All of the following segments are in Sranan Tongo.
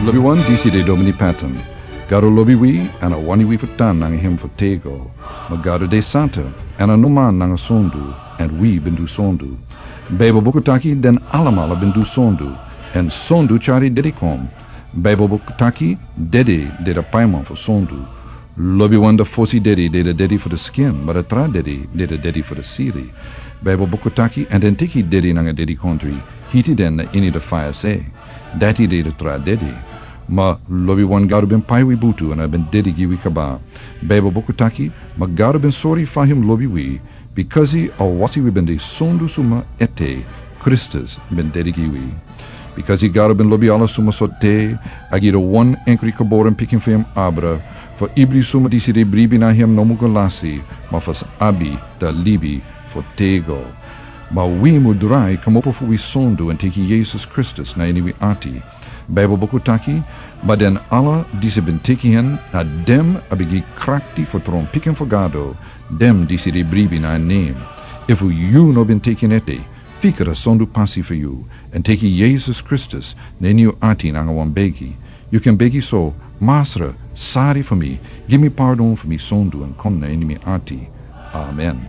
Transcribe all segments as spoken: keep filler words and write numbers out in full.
Lobiwan, disi de Domini Patton. Gado lobi wi, èn a wani wi fu tan nanga hem fu tego. Ma Gado de santa, èn a no man nanga sondu, èn wi ben du sondu. Baibel buku taki den alamala ben du sondu, èn sondu tyari dede kon. Baibel buku taki dede de a paiman fu sondu. Lobiwan, a fosi dede de a dede fu a skin, ma a tra dede de a dede fu a siri. Baibel buku taki, èn den teki dede nanga dedikondre, hiti den na ini a faya sei. Dati de a tra dede. Ma lobiwan, Gado ben pai wi butu èn a ben dede gi wi kaba. Baibel buku taki, ma Gado ben sori fa hem lobi wi, bikasi a wasi wi ben de sondu suma ete, Kristus ben dede gi wi. Bikasi Gado ben lobi ala suma so te, a gi a wan enkri geboren pikin fu hem abra, fu ibri suma disi de bribi na hem no mu go lasi, ma fu sa abi a libi fu tego. Ma wi mu drai kmopo fu wi sondu èn teki Yesus Kristus na ini wi ati. Baibel buku taki, ma den ala disi ben teki en, na den a ben gi krakti fu tron pikin fu Gado, den disi de bribi na en nen. Efu yu no ben teki en ete, fika a sondu pasi fu yu, èn teki Yesus Kristus na ini yu ati nanga wan begi. Yu kan begi so: Masra, sari fu mi, gi mi pardon fu mi sondu èn kon na ini mi ati. Amen.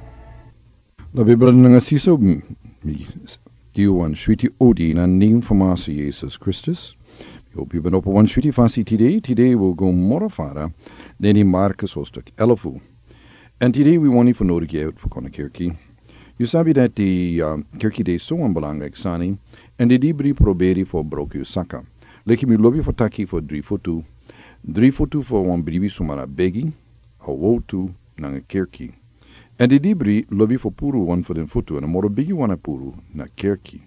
Lobi brada nanga sisa, mi gi yu wan switi odi na nen fu Masra Yesus Kristus. Mi hopi yu ben opo wan switi fasi tide. Tide wi o go moro fara na ini Markus hoofdstuk elfu. Èn tide wi wani fu nodigi yu fu kon na kerki. Yu sabi dati, ah, kerki de so wan belangrijk sani, èn den dibri proberi fu broko yu saka. Leki mi lobi fu taki fu dri futu. Dri futu fu wan bribi suma na begi, a wowtu, nanga kerki. Èn den dibri lobi fu puru wan fu den futu, èn a moro bigi wan a puru na kerki.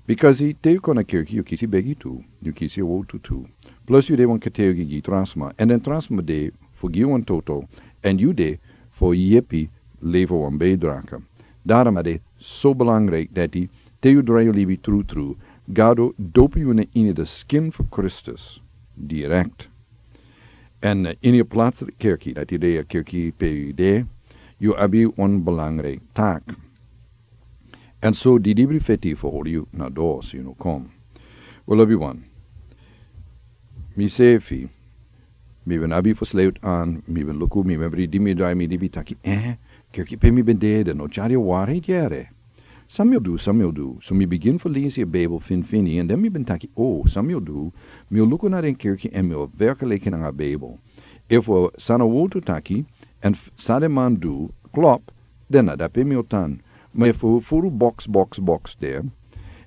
Bikasi te yu kon na kerki, yu kisi begi tu, yu kisi wowtu tu. Plus yu de wan kategi gi tra sma, èn den tra sma de fu gi wan toto, èn yu de fu yepi lever wan bijdrage. Daarom a de so belangrijk dati te yu drai yu libi trutru, Gado dopu yu na ini a skin fu Kristus direkt. Èn, eh, ini a plaatselijke kerki, dati de a kerki pe yu de, yu abi wan belangrijk taak. Èn so den dibri feti fu hori yu na dos, yu no kon. Wel, lobiwan, misefi, mi ben abi fu sluit aan, mi ben luku, mi ben bribi, mi drai, mi libi taki, eh, kerki pe mi ben de, den no tyari wari yere. San mi o du, san mi o du? So mi bigin fu lesi a Bijbel finfini, èn den mi ben taki, o, san mi o du? Mi o luku na den kerki èn mi o vergelijken nanga a Bijbel. Efu san a wowtu taki, èn f-, san den man du klop, den na dape mi o tan. Ma efu furu box, box, box de,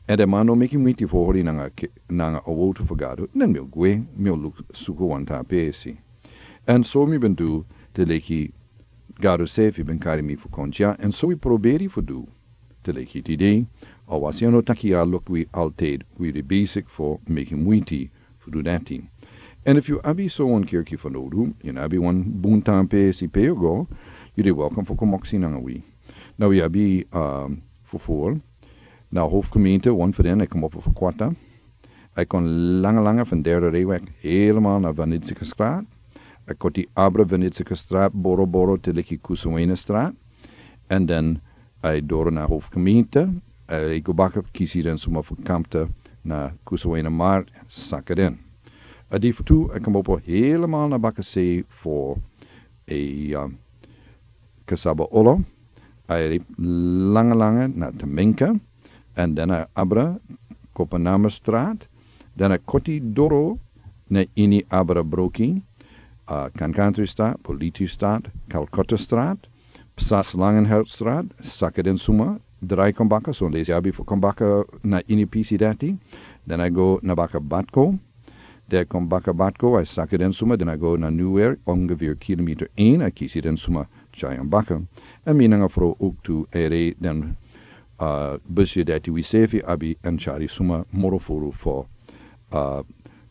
èn den man no meki muiti fu hori nanga ke-, nanga a wowtu fu Gado, den mi o gwe, mi o luku, suku wan tra presi. Èn so mi ben du, te leki Gado sefi ben kari mi fu kon dya, èn so wi proberi fu du. Te leki tide, a wasi a no taki a luku wi altijd, wi de bezig fu meki muiti fu du dati. Èn efu yu abi so wan kerki fanowdu, yu no abi wan bun tra presi pe yu go, yu de welkom fu kon moksi nanga wi. Now wi abi, ah, fufuru, na hoofdgemeente, wan fu den, a e komopo fu Kwatta. A e kon langa langa fu Derde Rijweg helemaal na Van Nitzigestraat. A e koti abra Van Nitzigestraat, boro boro te leki Kusawena Straat. Èn den a e doro na hoofdgemeente. A e go baka, kisi den suma fu Kampta na Kusawena Markt, saka den. A di fu tu a e komopo helemaal na bakasei fu a, ah, Kasaba Olo. A e langa langa na Temminka, èn den a e abra Kopenhamerstraat, den a e koti doro na ini abra broki, ah, Kankantri Straat, Politi Straat, Calcutta Straat, Psa Slangenhoutstraat, saka den suma, drai kon baka, so lesi a abi fu kon baka na ini pisi dati, den a e go na baka Batco, den a e kon baka Batco, a e saka den suma, den a e go na Newark, ongeveer kilometer een, a e kisi den suma tyari en baka. Èn mi nanga frow ook tu a e rei den, ah, busje dati wi sefi abi èn tyari suma moro furu fu, ah,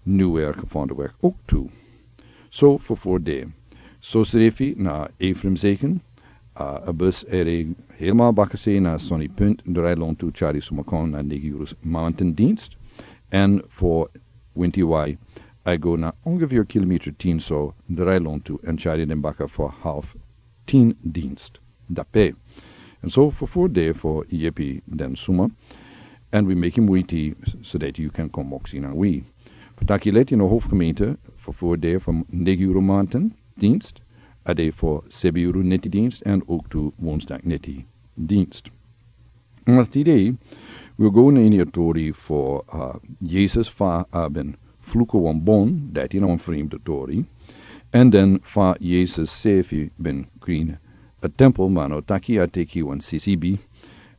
Newark, Vondelweg ook tu. So fufuru de. So srefi na Ephraimzegen, ah, a bus a e rei helemaal bakasei na Sunny Punt, drai lontu, tyari suma kon na negi yuru mamantendienst. Èn fu winti wai, a e go na ongeveer kilometer tien so, drai lontu, èn tyari den baka fu half tien dienst. Dape. Èn so fufuru de fu yepi den suma. Èn wi meki muiti so dati yu kan kon moksi nanga wi. Taki leti na hoofdgemeente, vervoer de van negen uur maanten dienst, a de voor zeven uur neti dienst en ook toe woensdag neti dienst. Maar today, we go na ini a tori for uh, Jesus fa a ben fluku wan bon, dati na wan vreemde tori. En dan fa Jesus sefi ben krin a tempel, ma no taki a teki wan C C B,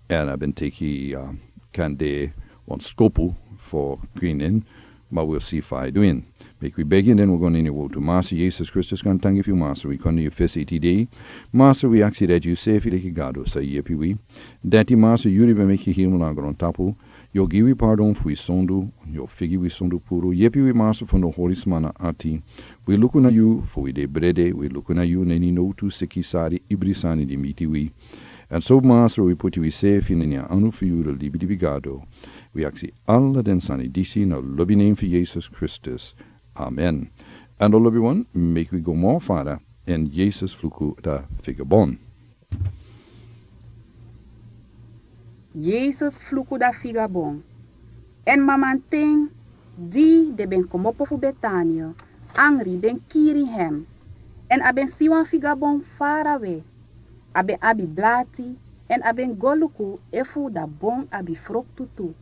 en a ben teki uh, kande wan skopu for krinin, ma we'll see fa a doing. Make we begin, then we go na ini a wotu. Master Jesus Kristus, kan tangi fu yu, Master, we kon na yu fesi today. Master, we aksi dati yu sefi leki Gado sa yepi wi. Dati Master, yu di ben meki hemel na grontapu. Yu o gi wi pardon fu wi sondu, yu o figi wi sondu puru. Yepi wi Master fu no hori sma na ati. Wi luku na yu fu wi de brede, wi luku na yu na ini no tu seki sari ibri sani di miti wi. En so Master, wi puti wi sefi na ini a anu fu yu, di libi libi Gado. Wi aksi ala den sani disi na lobi name fu Jesus Kristus. Amen. En dan lobi wan, make we go more further, en Jesus fluku da figabon. Jesus fluku da figabon. En mamanten, di den ben komopo fu Betania, angri ben kiri hem. En a ben si wan figabon farawe. A ben abi blati, en a ben go luku efu da bon abi froktu tu.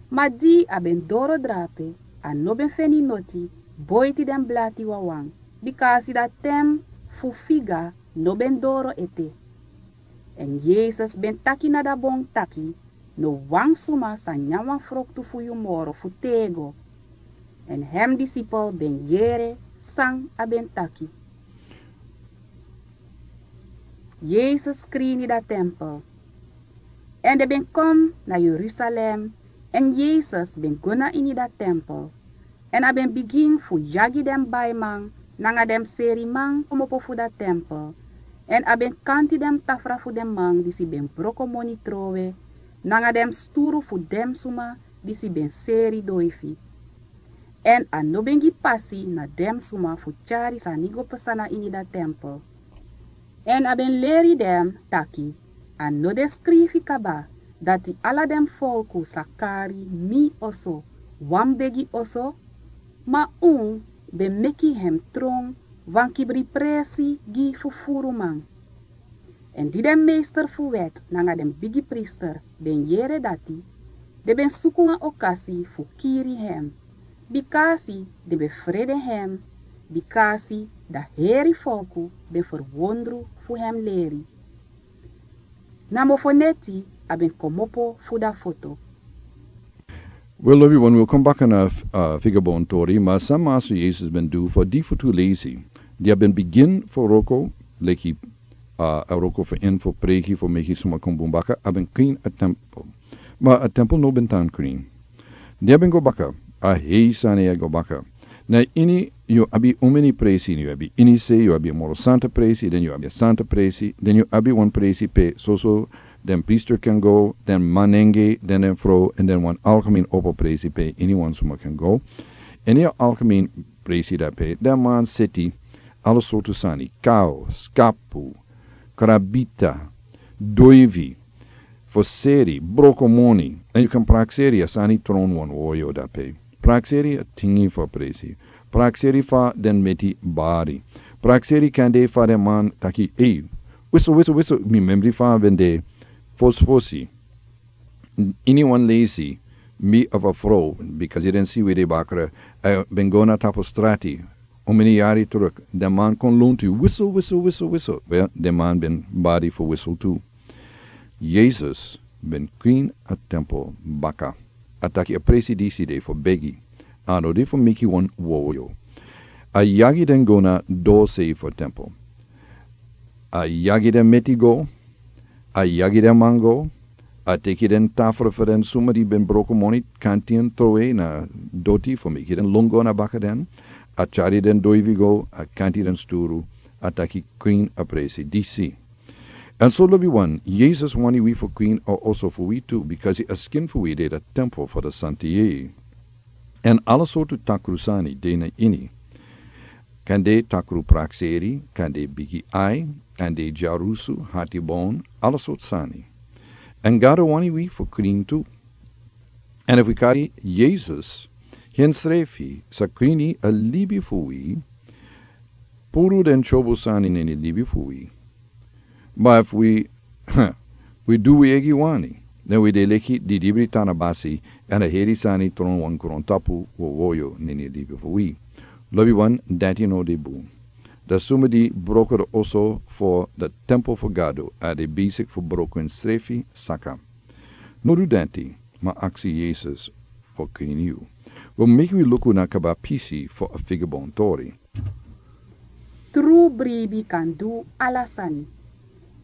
Ma di a ben doro drape, a no ben feni noti boiti den blati wawan, bikasi da ten fu figa no ben doro ete. En Jesus ben taki na da bon taki: No wan suma sa nyan wan froktu fu yu moro fu tego. En hem disipel ben yere san a ben taki. Jesus krini da tempel. En den ben kon na Jerusalem, en Jesus ben go na ini da tempel. En a ben bigin fu yagi den baiman nanga den seriman komopo fu da tempel. En a ben kanti den tafra fu den man disi ben broko moni trowe, nanga den sturu fu den suma disi ben seri doifi. En a no ben gi pasi na den suma fu tyari sani go pasa na ini da tempel. En a ben leri den taki: A no de skrifi kaba dati ala den folku sa kari mi oso wan begi oso? Ma un ben meki hem tron wan kibri presi gi fufuruman. En di den meester fu wet nanga den bigi priester ben yere dati, den ben suku wan okasi fu kiri hem, bikasi den ben frede hem, bikasi da heri folku ben ferwondru fu hem leri. Na mofoneti a ben komopo fu da foto. Wel, lobi wan, wi o kon baka na uh, figabon tori, ma san Master Jesus ben du for di fu tu leisi. Di a ben bigin for roko, leki uh, a roko for en for preki for meki suma kon bun baka, a ben krin a tempel. Ma a tempel no ben tan krin. Di a ben go baka, a hei sani a go baka. Na ini yu abi un meni presi, yu abi ini se, yu abi moro santa presi, den yu abi santa presi, den yu abi wan presi pe soso den priester kan go, den manenge, den den fro, en den wan algemeen opo presi pe ini wan suma kan go. Ini a algemeen presi dape, den man seti ala sortu sani, kau, skapu, krabita, doivi, foseri, broko moni, en yu kan prakseri a sani tron wan woyo dape. Prakseri a tingi fa presi. Prakseri fa den meti bari. Prakseri kande fa den man taki ei. Wiso, wiso, wiso, mi memri fa ben de fos fosi. Ini wan leisi, mi of a fro, bikasi den si we de bakra, uh, ben go na tapu strati. Un meni yari truk, den man kon lontu, wiso, wiso, wiso, wiso. Wel, den man ben bari for wiso tu. Jesus ben krin a tempel baka. A taki a presi disi de for begi. A no de for meki wan woyo. A yagi den go na dose for tempel. A yagi den meti go. A yagi den man go. A teki den tafra for den suma di ben broko moni, kanti en trowe na doti for meki den longo na baka den. A tyari den doivi go, a kanti den sturu. A taki krin a presi disi. En so lobi wan, Jesus wani wi for krin a oso for wi tu, bikasi a skin for wi de da tempel for da santi yei. En ala sortu takru sani de na ini. Kande takru prakseri, kande bigi ai, kande dyarusu, hati bon, ala sortu sani. En Gado wani wi for krin tu. En efu wi kari Jesus, Hensrefi sa krini a libi fu wi, puru den tyobu sani neni libi fu wi. Ma efu wi wi du wi egi wani, den wi de leki didibri tan na basi, èn a heri sani tron wan grontapu wowoyo neni libi fu wi. Lobi wan, dati no de bun. Da suma di broko da oso fo da tempo fu Gado, a de besik fu broko ensrefi saka. No du dati, ma aksi Yesus fo krini yu. Wi meki wi luku na kaba pisi fo a figabon tori. Tru bribi kan du ala sani.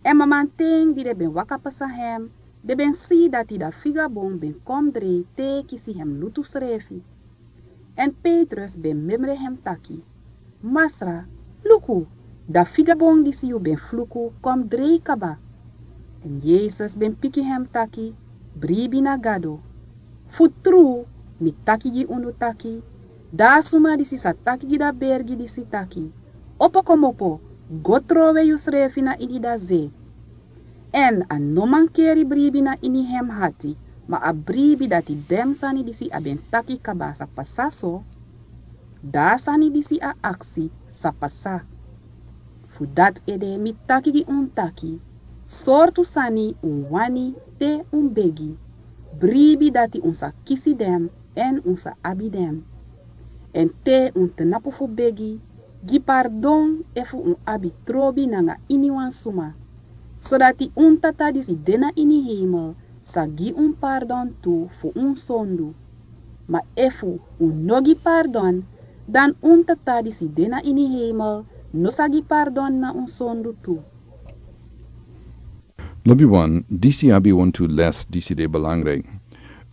Èn mamanten di den ben waka pasa hem, den ben si dati da figabon ben kon drei te kisi hem lutu srefi. Èn Petrus ben memre hem taki: Masra, luku, da figabon disi yu ben fluku kon drei kaba. Èn Yesus ben piki hem taki: Bribi na Gado. Fu tru, mi taki gi unu taki, da a suma disi sa taki gi da bergi disi taki: Opo komopo, go trowe yusrefi na ini da ze. Èn a no mankeri bribi na ini hem hati, ma a bribi dati den sani disi a ben taki kaba sa pasa so, da a sani disi a aksi sa pasa. Fu dati ede mi taki gi un taki, sortu sani un wani te un begi, bribi dati un sa kisi den èn un sa abi den. Èn te un tnapu fu begi, gi pardon efu un abi trobi nanga iniwan suma, sodati un Tata disi de na ini heimel sa gi un pardon tu fu un sondu. Ma efu un no gi pardon, dan un Tata disi de na ini heimel no sa gi pardon na un sondu tu. Lobi wan, disi abi wantu les disi de belangrijk.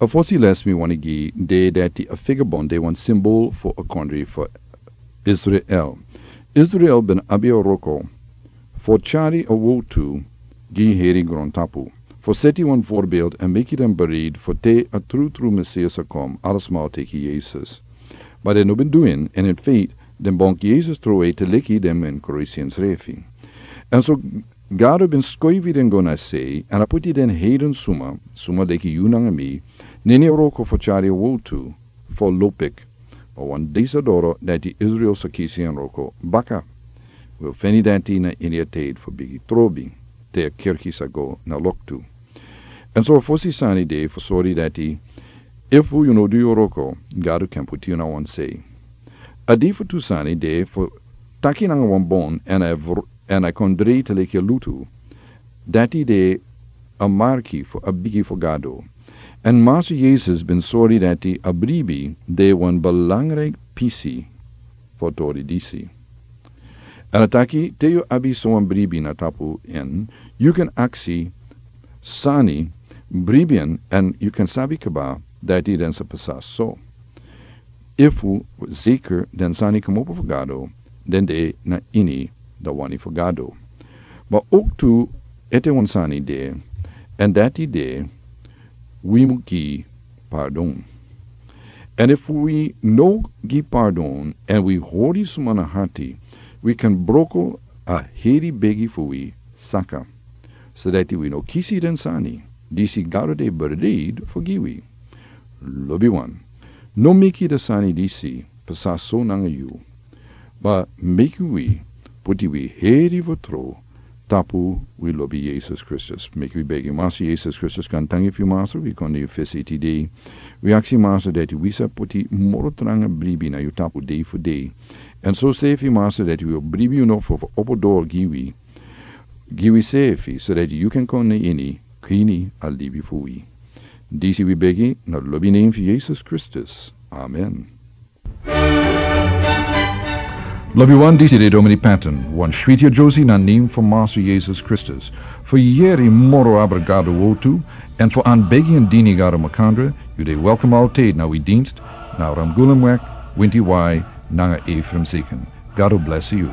A fosi les mi wani gi de dati a figabon de wan simbol fo a kondri fo Israel. Israel ben abi a wroko fo tyari a wowtu gi heri grontapu, fo seti wan voorbeeld èn meki den bereid fo te a trutru Mesias sa kon, ala sma o teki Yesus. Ma den no ben du en, èn in feit den bonki Yesus trowe te leki den men krisi ensrefi. Èn so Gado ben skoifi den go na sei, èn a puti den heiden suma, suma leki yu nanga mi, neni a wroko fo tyari a wowtu fo lopik. Ma wan disa doro dati Israel sa kisi en wroko baka. Wi o feni dati na ini a tijd fo bigi trobi, te a kerki sa go na loktu. Èn so a fosi sani de fo sori dati efu yu no du yu wroko, Gado kan puti yu na wan sei. A di fu tu sani de fo taki nanga wan bon èn a vr-, èn a kon drei te leki a lutu. Dati de a marki fo a bigi fo Gado. Èn Masa Yesus ben sori dati a bribi de wan belangrijk pisi fo tori disi. Èn a taki te yu abi so wan bribi na tapu en, yu kan aksi sani bribi en èn yu kan sabi kaba dati den sa pasa so. Efu zeker den sani komopo fu Gado, den de na ini da wani fu Gado. Ma oktu ete wan sani de, èn dati de wi mu gi pardon. Èn efu wi no gi pardon èn wi hori suma na hati, wi kan broko a heri begi fu wi saka. Sodati wi no kisi den sani disi Gado de bereid fo gi wi. Lobi wan, no meki da sani disi pasa so nanga yu. Ma meki wi puti wi heri fo tro tapu wi lobi Yesus Kristus. Meki wi begi. Masa Yesus Kristus, kan tangi fu yu Masa, wi kon na yu fesi tide. Wi aksi Masa dati wi sa puti moro tranga bribi na yu tapu dei fu dei. Èn so sefi Masa dati wi o bribi yu no fo fo opo doro gi wi. Gi wi sefi sodati yu kan kon na ini krini a libi fu wi. Disi wi begi na lobi nen fu Yesus Kristus. Amen. Lobi wan, disi de Domini Patton, wan switi a Josie na nen fu Masa Yesus Kristus. Fu yeri moro abra Gado wowtu, èn fu an begi èn dini Gado makandra, yu de welkom altijd na wi dienst, na Ramgulemweg, winti wai, nanga Ephraim Zieken. Gado bless yu.